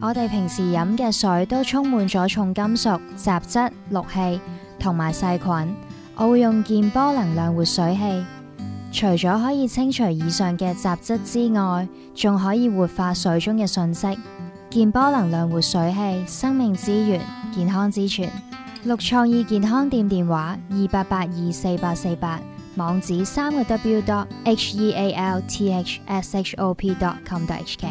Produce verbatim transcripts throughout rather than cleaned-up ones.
我哋平時飲嘅水都充滿咗重金屬、雜質、氯氣同埋細菌。我會用健波能量活水器，除咗可以清除以上嘅雜質之外，仲可以活化水中嘅訊息。健波能量活水器，生命之源，健康之泉。綠創意健康店電話二八八二四八四八，網址三個 w dot h e a l t h s h o p dot com dot h k。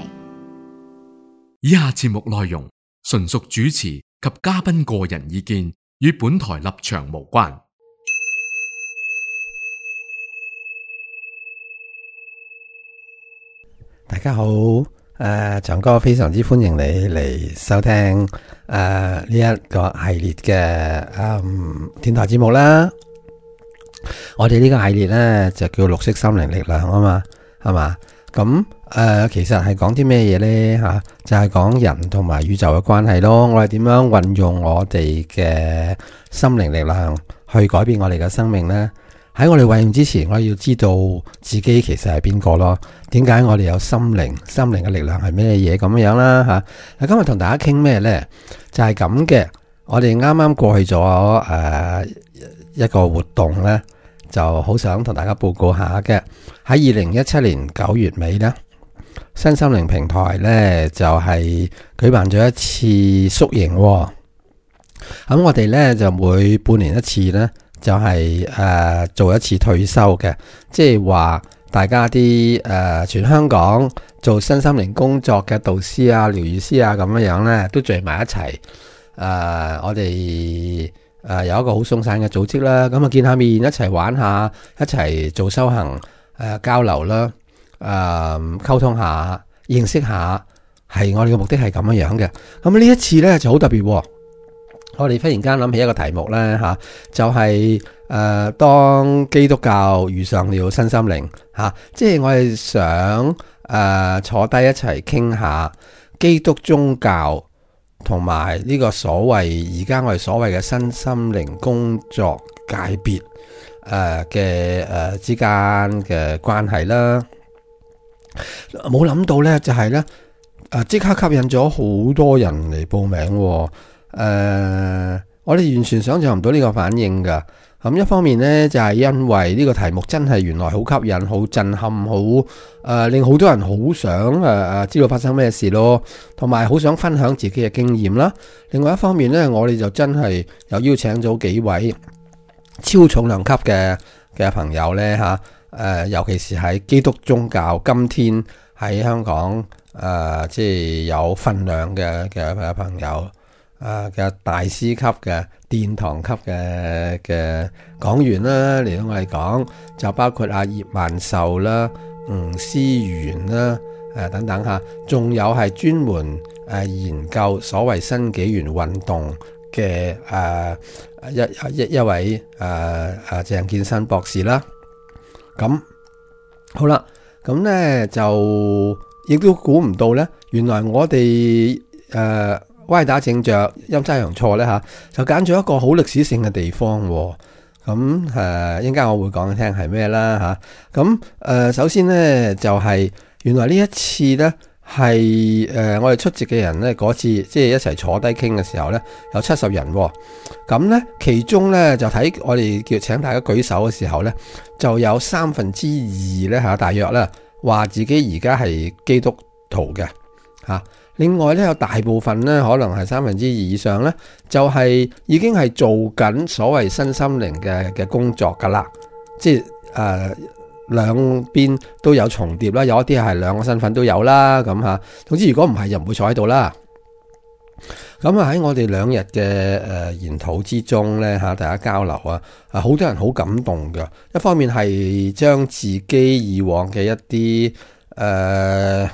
以下節目內容純屬主持及嘉賓個人意見，與本台立場無關。大家好，誒、呃，長哥非常之歡迎你嚟收聽誒呢一個系列嘅誒電台節目啦。我哋呢個系列呢，就叫綠色心靈力量啊嘛，係嘛？咁誒、呃，其實係講啲咩嘢呢？吓、啊，就係、是、講人同埋宇宙嘅關係咯。我哋點樣運用我哋嘅心靈力量去改變我哋嘅生命呢？喺我哋運用之前，我哋要知道自己其實係邊個咯？點解我哋有心靈？心靈嘅力量係咩嘢咁樣啦？吓、啊，今日同大家傾咩呢？就係咁嘅。我哋啱啱過去咗誒、呃、一個活動呢，就好想同大家報告下嘅。喺二零一七年九月尾呢，新心靈平台呢就係、是、舉辦咗一次宿營、哦。咁我哋呢就每半年一次呢。就係、是、誒、呃、做一次退休嘅，即係話大家啲誒、呃、全香港做身心靈工作嘅導師啊、療癒師啊咁樣樣咧，都聚埋一齊。誒、呃，我哋誒、呃、有一個好鬆散嘅組織啦，咁啊見下面一齊玩下，一齊做修行誒、呃、交流啦，誒、呃、溝通下、認識下，係我哋嘅目的係咁樣樣嘅。咁呢一次咧就好特別、哦。我哋忽然間諗起一個題目咧吓，就係、是、誒、呃、當基督教遇上了新心靈吓、啊，即係我哋想誒、呃、坐低一齊傾下基督宗教同埋呢個所謂而家我哋所謂嘅新心靈工作界別誒嘅誒之間嘅關係啦。冇諗到咧就係咧誒即刻吸引咗好多人嚟報名、哦。誒、呃，我哋完全想象唔到呢個反應噶。咁、嗯、一方面呢，就係、是、因為呢個題目真係原來好吸引、好震撼、好誒、呃，令好多人好想誒誒、呃、知道發生咩事咯，同埋好想分享自己嘅經驗啦。另外一方面呢，我哋就真係又邀請咗幾位超重量級嘅嘅朋友呢。吓、啊，誒、呃，尤其是喺基督宗教今天喺香港誒、呃，即係有份量嘅嘅朋友。啊嘅大師級嘅殿堂級嘅嘅講員啦，嚟到我哋講就包括阿葉萬壽啦、吳思源啦、誒、啊、等等嚇，仲有係專門誒研究所謂新紀元運動嘅誒、啊、一一一位誒誒、啊、鄭建新博士啦。咁好啦，咁咧就亦都估唔到咧，原來我哋誒。啊歪打正着，陰差陽錯咧吓，就揀咗一個好歷史性嘅地方。咁誒，一陣間我會講你聽係咩啦吓。咁、啊、誒，首先咧就係、是、原來呢一次咧係誒我哋出席嘅人咧嗰次即係一齊坐低傾嘅時候咧有七十人。咁咧其中咧就睇我哋叫請大家舉手嘅時候咧就有三分之二咧吓，大約咧話自己而家係基督徒嘅吓。啊另外咧，有大部分咧，可能係三分之二以上咧，就係、是、已經係做緊所謂新心靈嘅嘅工作噶啦，即係誒兩邊都有重疊啦，有一啲係兩個身份都有啦，咁吓。總之如果唔係，就唔會坐喺度啦。咁啊喺我哋兩日嘅誒研討之中咧吓，大家交流啊，啊好多人好感動噶。一方面係將自己以往嘅一啲誒。呃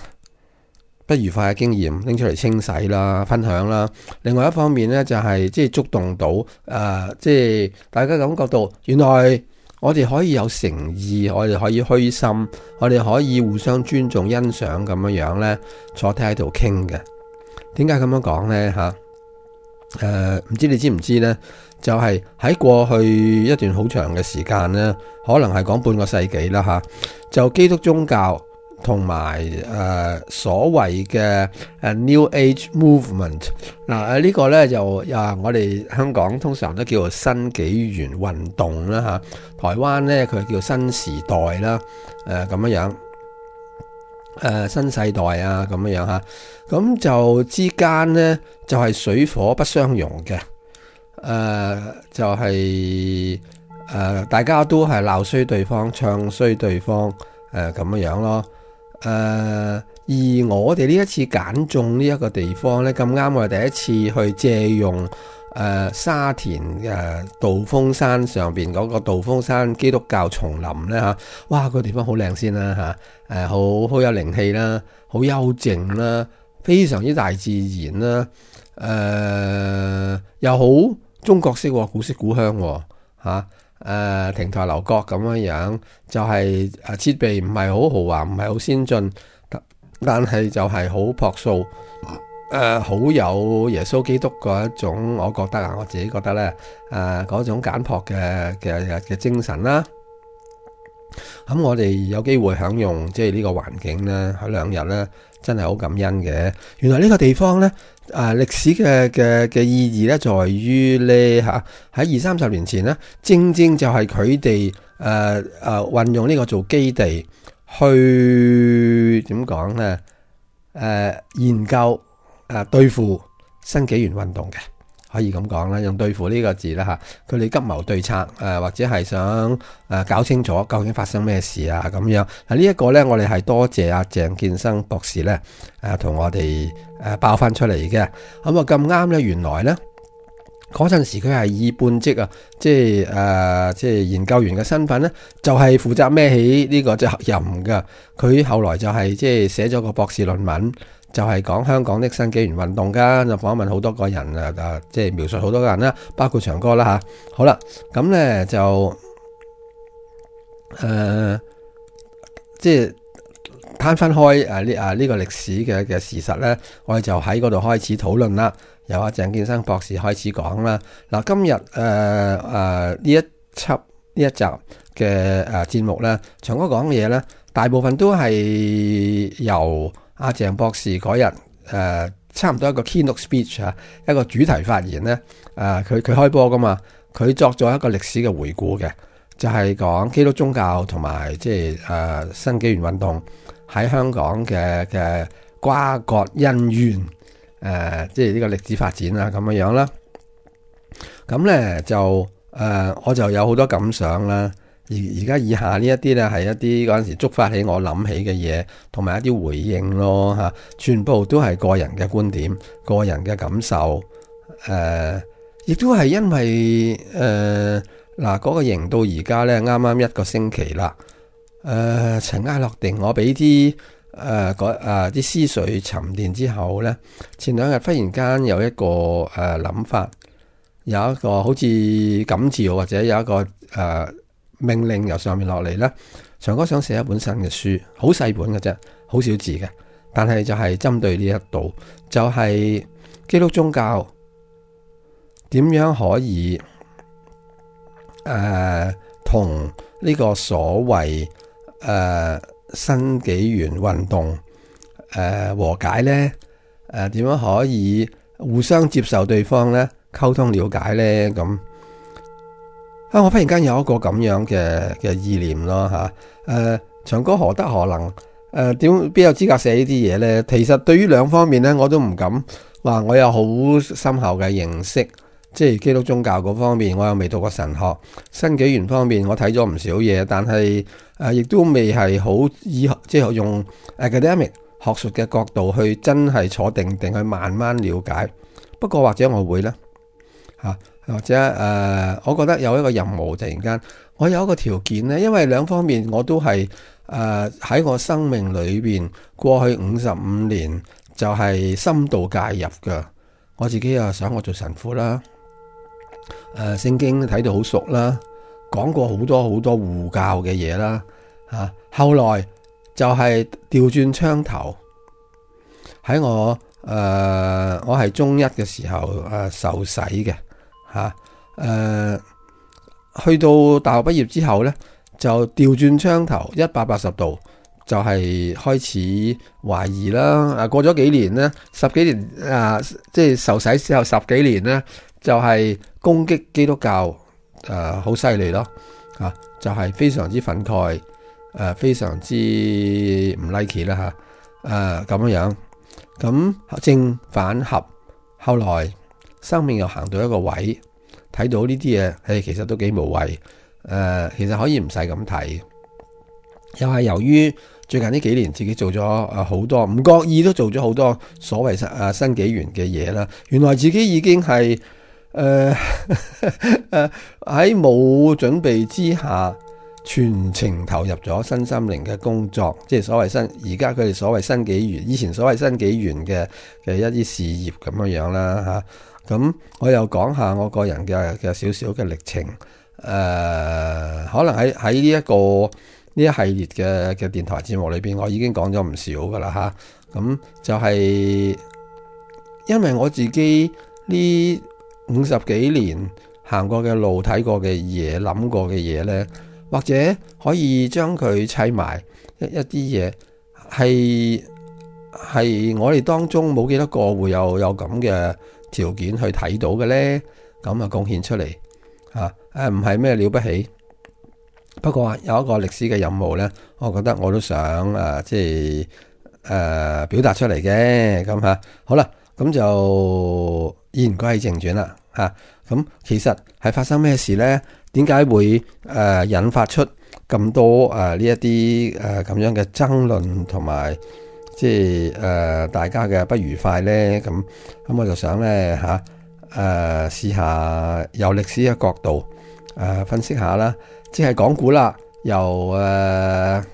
不愉快嘅經驗拎出嚟清洗啦、分享啦。另外一方面咧，就係即係觸動到誒，即係大家感覺到原來我哋可以有誠意，我哋可以虛心，我哋可以互相尊重、欣賞咁樣樣咧，坐低喺度傾嘅。點解咁樣講咧？嚇誒，唔知你知唔知咧？就係喺過去一段好長嘅時間咧，可能係講半個世紀啦嚇，就基督宗教同埋誒所謂嘅誒 New Age Movement。嗱誒呢個咧就啊我哋香港通常都叫做新紀元運動啦嚇，台灣咧佢叫新時代啦，誒咁樣樣，誒、呃、新世代啊咁樣樣嚇，咁就之間咧就係、是、水火不相容嘅，誒、呃、就係、是、誒、呃、大家都係鬧衰對方，唱衰對方，誒咁樣樣咯。誒、呃，而我哋呢一次揀中呢一個地方呢，咁啱我哋第一次去借用誒、呃、沙田誒、呃、道風山上邊嗰個道風山基督教叢林呢。嚇，哇、個地方好靚先啦嚇，誒好好有靈氣啦，好幽靜啦，非常之大自然啦，誒、呃、又好中國式古色古香喎嚇。誒、呃，亭台樓閣咁樣樣，就係誒設備唔係好豪華，唔係好先進，但係就係好樸素，誒、呃，好有耶穌基督嗰一種，我覺得啊，我自己覺得咧，誒、呃，嗰種簡樸嘅嘅嘅精神啦。咁、嗯、我哋有機會享用即係呢個環境咧，喺兩日咧，真係好感恩嘅。原來呢個地方咧，啊歷史嘅嘅嘅意義咧，在於咧嚇喺二三十年前咧，正正就係佢哋誒誒運用呢個做基地去點講咧？誒、呃、研究誒、呃、對付新紀元運動嘅。可以咁講啦，用對付呢個字啦嚇，佢哋急謀對策，誒、呃、或者係想誒、呃、搞清楚究竟發生咩事啊咁樣。嗱呢一個咧，我哋係多謝阿鄭建生博士咧，誒、呃、同我哋誒爆翻出嚟嘅。咁啊咁啱咧，原來咧嗰陣時佢係以半職啊，即係誒、呃、即係研究員嘅身份咧，就係、是、負責孭起呢個責任㗎。佢後來就係、是、即係寫咗個博士論文。就係講香港的新紀元運動㗎，就訪問好多個人啊，啊，即係描述好多個人啦，包括長哥啦嚇。好啦，咁咧就誒、呃，即係攤分開誒呢啊呢個歷史嘅嘅事實咧，我哋就喺嗰度開始討論啦。由阿鄭建生博士開始講啦。嗱，今日誒誒呢一輯呢一集嘅誒節目咧，長哥講嘅嘢咧，大部分都係由阿鄭博士嗰日誒差唔多一個 keynote speech 啊，一個主題發言咧，誒佢佢開波噶嘛，佢作咗一個歷史嘅回顧嘅，就係、是、講基督宗教同埋即係誒新紀元運動喺香港嘅嘅瓜葛恩怨，誒即係呢個歷史發展啊咁樣樣啦。咁咧就誒、呃、我就有好多感想啦。而而家以下呢一啲咧係一啲嗰陣時觸發起我諗起嘅嘢，同埋一啲回應咯嚇，全部都係個人嘅觀點、個人嘅感受。誒、呃，亦都係因為誒嗱嗰個營到而家咧，啱啱一個星期啦。誒、呃，塵埃落定，我俾啲誒嗰誒啲思緒沉澱之後咧，前兩日忽然間有一個誒諗、呃、法，有一個好似感召或者有一個誒。呃命令由上面落嚟咧，長哥想寫一本新嘅書，好細本嘅啫，好少字嘅，但係就係針對呢一度，就係、是、基督宗教點樣可以誒同呢個所謂誒、呃、新紀元運動誒、呃、和解咧？誒、呃、點樣可以互相接受對方咧？溝通了解咧？咁。啊！我忽然間有一個咁樣嘅嘅意念咯嚇，誒、啊、長哥何德何能？誒點邊有資格寫呢啲嘢咧？其實對於兩方面咧，我都唔敢話我有好深厚嘅認識，即係基督宗教嗰方面，我又未讀過神學；新紀元方面，我睇咗唔少嘢，但係誒亦都未係好以即係用 academic 學術嘅角度去真係坐定定去慢慢了解。不過或者我會咧嚇。啊或者誒、呃，我覺得有一個任務，突然間我有一個條件咧，因為兩方面我都係誒喺我生命裏邊過去五十五年就係深度介入嘅。我自己又想我做神父啦，誒、呃、聖經睇到好熟啦，講過好多好多護教嘅嘢啦嚇。後來就係調轉槍頭喺我誒、呃、我係中一嘅時候誒、呃、受洗嘅。吓，誒、呃，去到大學畢業之後咧，就調轉槍頭一百八十度，就係開始懷疑啦。啊，過咗幾年呢，十幾年啊，即係受洗之後十幾年呢，就係、是、攻擊基督教，誒好犀利咯。啊，就係、是、非常之憤慨，誒、啊、非常之唔 like 啦嚇，誒咁樣樣。咁正反合，後來生命又行到一個位，睇到呢啲嘢，誒其實都幾無謂。誒、呃、其實可以唔使咁睇。又係由於最近呢幾年自己做咗誒好多，唔覺意都做咗好多所謂新誒新紀元嘅嘢啦。原來自己已經係誒誒喺冇準備之下，全程投入咗身心靈嘅工作，即係所謂新而家佢哋所謂新紀元，以前所謂新紀元嘅嘅一啲事業咁樣樣啦嚇。咁、啊、我又講下我個人嘅嘅少少嘅歷程。誒、呃，可能喺喺呢一個呢一系列嘅嘅電台節目裏邊，我已經講咗唔少噶啦嚇。咁、啊、就係因為我自己呢五十幾年行過嘅路、睇過嘅嘢、諗過嘅嘢呢，或者可以將佢砌埋一一啲嘢，係係我哋當中冇幾多個會有有咁嘅條件去睇到嘅呢。咁啊貢獻出嚟嚇，誒唔係咩了不起。不過有一個歷史嘅任務呢，我覺得我都想誒、呃，即係誒、呃、表達出嚟嘅咁嚇。好啦，咁就言歸正傳啦嚇。咁、啊、其實係發生咩事呢？點解會誒、呃、引發出咁多誒呢一啲誒咁樣嘅爭論同埋即係誒、呃、大家嘅不愉快呢？咁咁我就想呢，嚇誒試下由歷史嘅角度誒、呃、分析下啦。即係講古啦，由誒、呃、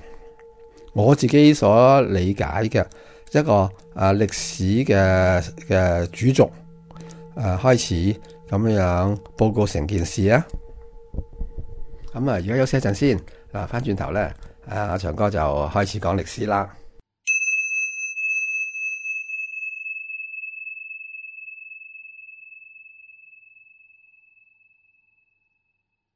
我自己所理解嘅一個誒、呃、歷史嘅嘅主軸誒、呃、開始咁樣樣報告成件事啊。咁啊，而家休息一陣先，嗱翻轉頭咧，誒阿長哥就開始講歷史啦。